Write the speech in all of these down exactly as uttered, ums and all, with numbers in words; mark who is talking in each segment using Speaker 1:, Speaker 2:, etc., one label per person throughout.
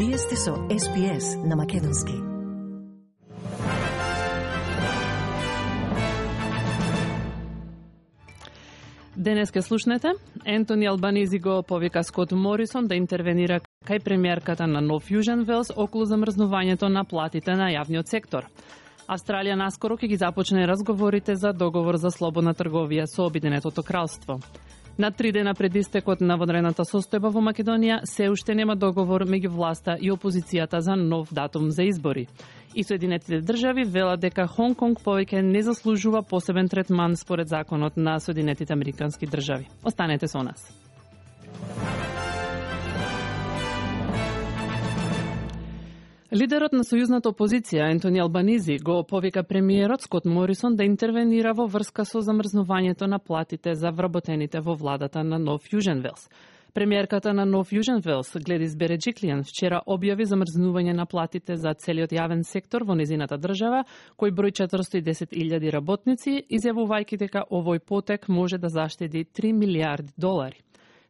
Speaker 1: Вие сте со Ес Би Ес на Македонски.
Speaker 2: Денес ке слушнете, Ентони Албанизи го повика Скот Морисон да интервенира кај премиерката на Нов Јужен Велс околу замрзнувањето на платите на јавниот сектор. Австралија наскоро ќе ги започне разговорите за договор за слободна трговија со Обединетото кралство. На три дена пред истекот на вонредната состојба во Македонија се уште нема договор меѓу власта и опозицијата за нов датум за избори. И Соединетите држави велат дека Хонг Конг повеќе не заслужува посебен третман според законот на Соединетите Американски држави. Останете со нас. Лидерот на сојузната опозиција Ентони Албанизи го повика премиерот Скот Морисон да интервенира во врска со замрзнувањето на платите за вработените во владата на Нов Јужен Велс. Премиерката на Нов Јужен Велс, Гледис Береджиклијан, вчера објави замрзнување на платите за целиот јавен сектор во незината држава, кој број четиристотини и десет илјади работници, изјавувајќи дека овој потек може да заштеди три милијарди долари.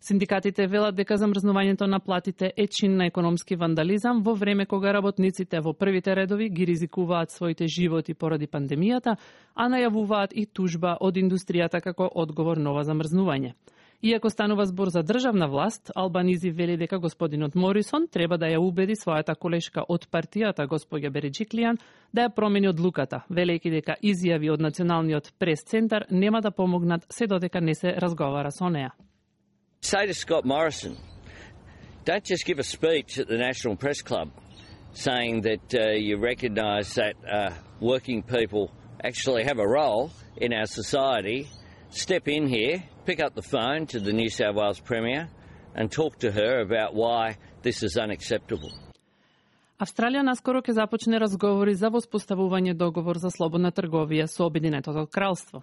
Speaker 2: Синдикатите велат дека замрзнувањето на платите е чин на економски вандализам во време кога работниците во првите редови ги ризикуваат своите животи поради пандемијата, а најавуваат и тужба од индустријата како одговор на ова замрзнување. Иако станува збор за државна власт, Албанизи вели дека господинот Морисон треба да ја убеди својата колешка од партијата, господја Береджиклијан, да ја промени одлуката, велејќи дека изјави од Националниот прес-центар нема да помогнат се додека не се разговара со неа.
Speaker 3: Say to Scott Morrison, don't just give a speech at the National Press Club saying that uh, you recognise that uh, working people actually have a role in our society. Step in here, pick up the phone to the New South Wales Premier and talk to her about why this is unacceptable.
Speaker 2: Австралија наскоро ќе започне разговори за воспоставување договор за слободна трговија со Обединетото кралство.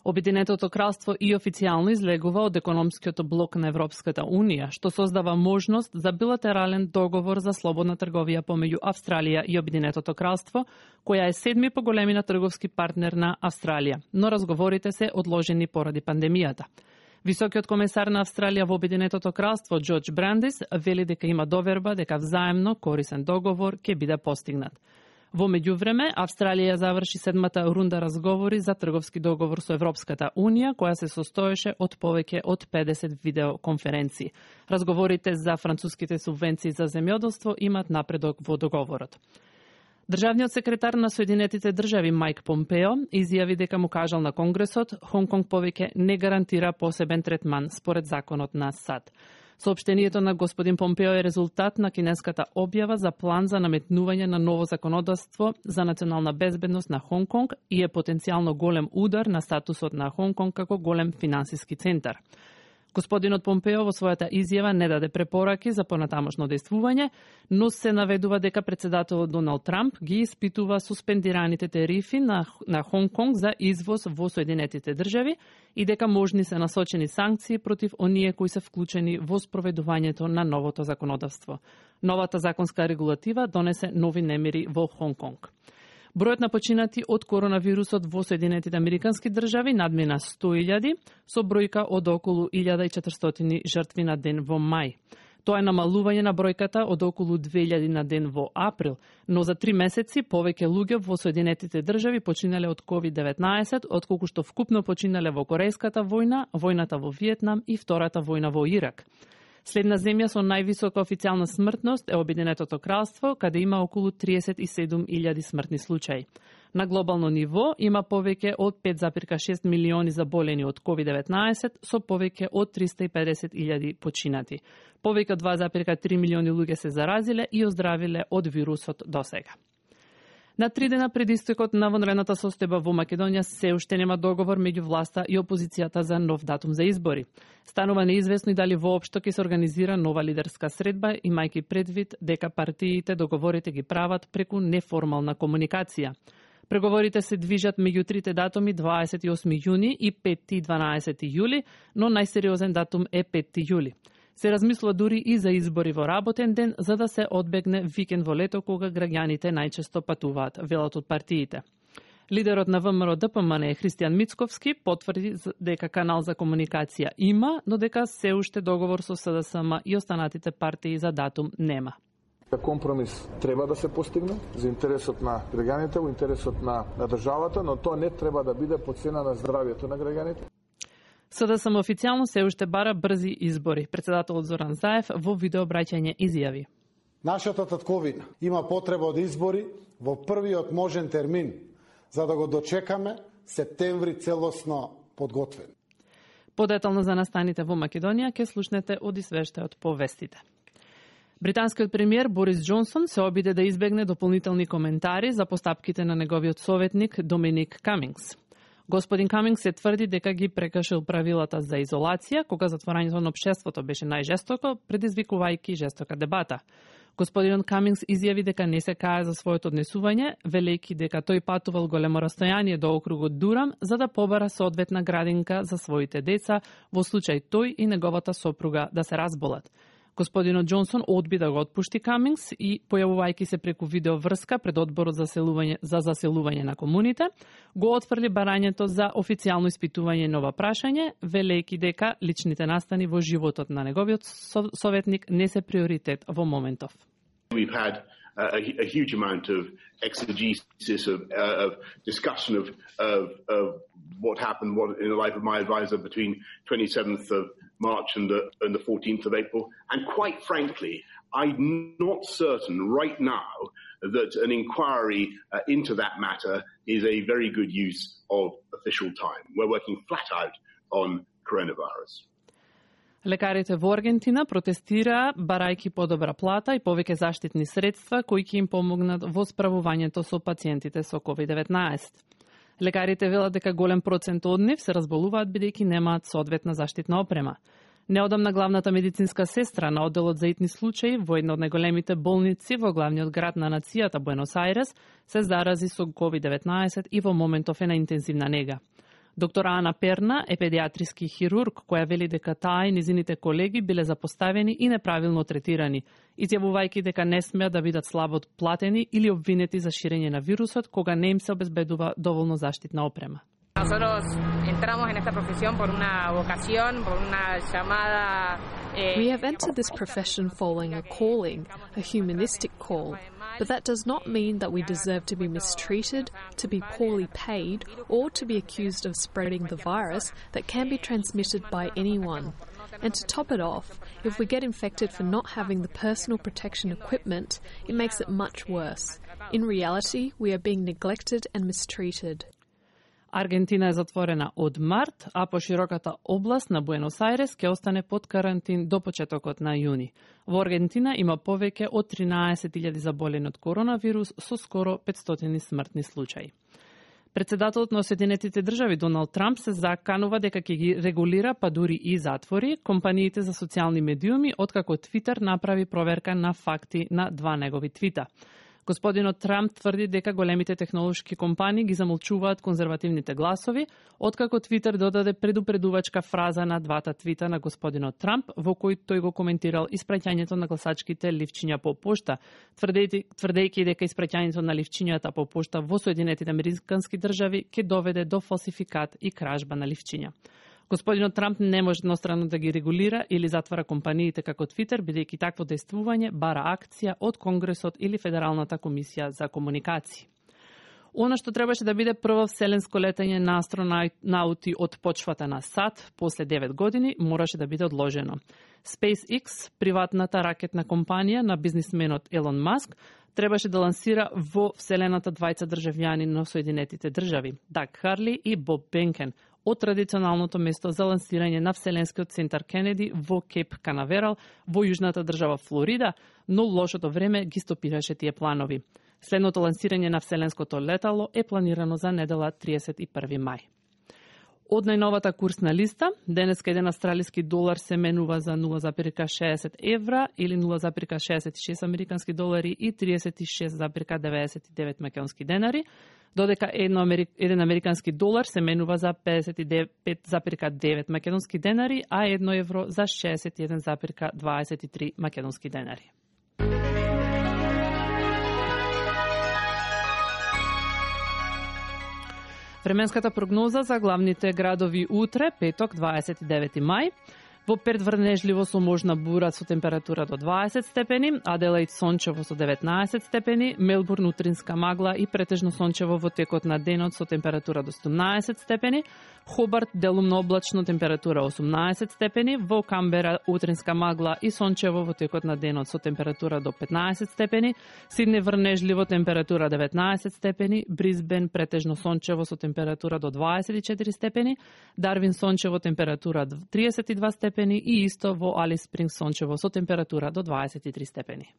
Speaker 2: Обединетото кралство и официјално излегува од економскиот блок на Европската Унија, што создава можност за билатерален договор за слободна трговија помеѓу Австралија и Обединетото кралство, која е седми по големина трговски партнер на Австралија, но разговорите се одложени поради пандемијата. Високиот комесар на Австралија во Обединетото кралство Џорџ Брандис вели дека има доверба дека взаемно корисен договор ќе биде постигнат. Во меѓувреме, Австралија заврши седмата рунда разговори за трговски договор со Европската Унија, која се состоеше од повеќе од педесет видеоконференции. Разговорите за француските субвенции за земјоделство имаат напредок во договорот. Државниот секретар на Соединетите држави Мајк Помпео изјави дека му кажал на Конгресот Хонг Конг повеќе не гарантира посебен третман според законот на САД. Соопштението на господин Помпео е резултат на кинеската објава за план за наметнување на ново законодавство за национална безбедност на Хонг Конг и е потенцијално голем удар на статусот на Хонг Конг како голем финансиски центар. Господинот Помпео во својата изјава не даде препораки за понатамошно действување, но се наведува дека председателот Доналд Трамп ги испитува суспендираните тарифи на, на Хонг Конг за извоз во Соединетите држави и дека можни се насочени санкции против оние кои се вклучени во спроведувањето на новото законодавство. Новата законска регулатива донесе нови немири во Хонг Конг. Бројот на починати од коронавирусот во Соединетите Американски држави надмина сто илјади, со бројка од околу илјада и четиристотини жртви на ден во мај. Тоа е намалување на бројката од околу две илјади на ден во април, но за три месеци повеќе луѓе во Соединетите држави починале од ковид деветнаесет, отколку што вкупно починале во Корејската војна, војната во Виетнам и втората војна во Ирак. Следна земја со највисока официјална смртност е Обединетото кралство, каде има околу триесет и седум илјади смртни случаи. На глобално ниво има повеќе од пет зарез и шест милиони заболени од ковид деветнаесет, со повеќе од триста и педесет илјади починати. Повеќе од два зарез и три милиони луѓе се заразиле и оздравиле од вирусот досега. На три дена пред истекот на вонредната состојба во Македонија се уште нема договор меѓу власта и опозицијата за нов датум за избори. Станува неизвестно и дали воопшто ќе се организира нова лидерска средба, имајќи предвид дека партиите договорите ги прават преку неформална комуникација. Преговорите се движат меѓу трите датуми дваесет и осми јуни и петти и дванаесети јули, но најсериозен датум е петти јули. Се размислува дури и за избори во работен ден, за да се одбегне викенд во лето кога граѓаните најчесто патуваат, велат од партиите. Лидерот на ВМРО Д П М Н Христијан Мицковски потврди дека канал за комуникација има, но дека се уште договор со С Д С М и останатите партии за датум нема.
Speaker 4: Компромис треба да се постигне за интересот на граѓаните, во интересот на, на државата, но тоа не треба да биде по цена на здравјето на граѓаните.
Speaker 2: СДСМ официјално се уште бара брзи избори. Председателот Зоран Заев во видеообраќање изјави:
Speaker 5: Нашата татковина има потреба од избори во првиот можен термин, за да го дочекаме септември целосно подготвен.
Speaker 2: Подетално за настаните во Македонија ќе слушнете од извештајот по вестите. Британскиот премиер Борис Џонсон се обиде да избегне дополнителни коментари за постапките на неговиот советник Доминик Камингс. Господин Камингс се тврди дека ги прекршил правилата за изолација, кога затворањето на општеството беше најжестоко, предизвикувајќи жестока дебата. Господинот Камингс изјави дека не се кае за своето однесување, велејќи дека тој патувал големо растојание до округот Дурам за да побара соодветна градинка за своите деца во случај тој и неговата сопруга да се разболат. Господинот Џонсон одби да го отпушти Камингс и, појавувајќи се преку видеоврска пред одборот за заселување, за заселување на комуните, го отфрли барањето за официјално испитување на ова прашање, велејќи дека личните настани во животот на неговиот советник не се приоритет во моментов.
Speaker 6: We've had a, a huge amount of exegesis, of, uh, of discussion of, of, of what happened what, in the life of my advisor between twenty-seventh of March and the, and the fourteenth of April. And quite frankly, I'm not certain right now that an inquiry uh, into that matter is a very good use of official time. We're working flat out on coronavirus.
Speaker 2: Лекарите во Аргентина протестираа барајќи подобра плата и повеќе заштитни средства кои ќе им помогнат во справувањето со пациентите со ковид деветнаесет. Лекарите велат дека голем процент од нив се разболуваат бидејќи немаат соодветна заштитна опрема. Неодамна главната медицинска сестра на одделот за итни случаи во една од најголемите болници во главниот град на нацијата Буенос Ајрес се зарази со ковид деветнаесет и во моментов е на интензивна нега. Доктор Ана Перна е педиатриски хирург која вели дека таа и низините колеги биле запоставени и неправилно третирани, изјавувајќи дека не смеат да бидат слабо платени или обвинети за ширење на вирусот кога не им се обезбедува доволно заштитна опрема.
Speaker 7: Nosotros entramos en esta profesión por una vocación, por una llamada.
Speaker 8: We have entered this profession following a calling, a humanistic call, but that does not mean that we deserve to be mistreated, to be poorly paid, or to be accused of spreading the virus that can be transmitted by anyone. And to top it off, if we get infected for not having the personal protection equipment, it makes it much worse. In reality, we are being neglected and mistreated.
Speaker 2: Аргентина е затворена од март, а пошироката област на Буенос Ајрес ќе остане под карантин до почетокот на јуни. Во Аргентина има повеќе од тринаесет илјади заболени од коронавирус со скоро петстотини смртни случаи. Председателот на Соединетите држави Доналд Трамп се заканува дека ќе ги регулира, па дури и затвори, компаниите за социјални медиуми, откако Твитер направи проверка на факти на два негови твита. Господинот Трамп тврди дека големите технолошки компании ги замолчуваат конзервативните гласови, откако Твитер додаде предупредувачка фраза на двата твита на господинот Трамп, во кој тој го коментирал испраќањето на гласачките ливчиња по пошта, тврдејќи дека испраќањето на ливчињата по пошта во Соединетите американски држави ќе доведе до фалсификат и кражба на ливчиња. Господинот Трамп не може еднострано да ги регулира или затвара компаниите како Твитер, бидејќи такво дејствување бара акција од Конгресот или Федералната комисија за комуникации. Она што требаше да биде прво вселенско летање на астронаути од почвата на САД после девет години мораше да биде одложено. SpaceX, приватната ракетна компанија на бизнисменот Елон Маск, требаше да лансира во вселената двајца државјани на Соединетите држави, Даг Харли и Боб Бенкен, од традиционалното место за лансирање на Вселенскиот центар Кенеди во Кейп Канаверал во јужната држава Флорида, но лошото време ги стопираше тие планови. Следното лансирање на Вселенското летало е планирано за недела триесет и први мај. Од најновата курсна листа, денеска еден австралиски долар се менува за нула зарез шеесет евра или нула зарез шеесет и шест американски долари и триесет и шест зарез деветдесет и девет македонски денари, додека еден американски долар се менува за педесет и пет зарез девет македонски денари, а едно евро за шеесет и еден зарез дваесет и три македонски денари. Временската прогноза за главните градови утре, петок, дваесет и девети мај. Во Перт врнежливо со можна бура со температура до дваесет степени, Аделаид сончево со деветнаесет степени, Мелбурн утринска магла и претежно сончево во текот на денот со температура до седумнаесет степени, Хобарт делумно облачно температура осумнаесет степени, во Камбера утринска магла и сончево во текот на денот со температура до петнаесет степени, Сиднеј врнежливо температура деветнаесет степени, Брисбен претежно сончево со температура до дваесет и четири степени, Дарвин сончево температура триесет и два степени и исто во Алис Спрингс сончево со температура до дваесет и три степени.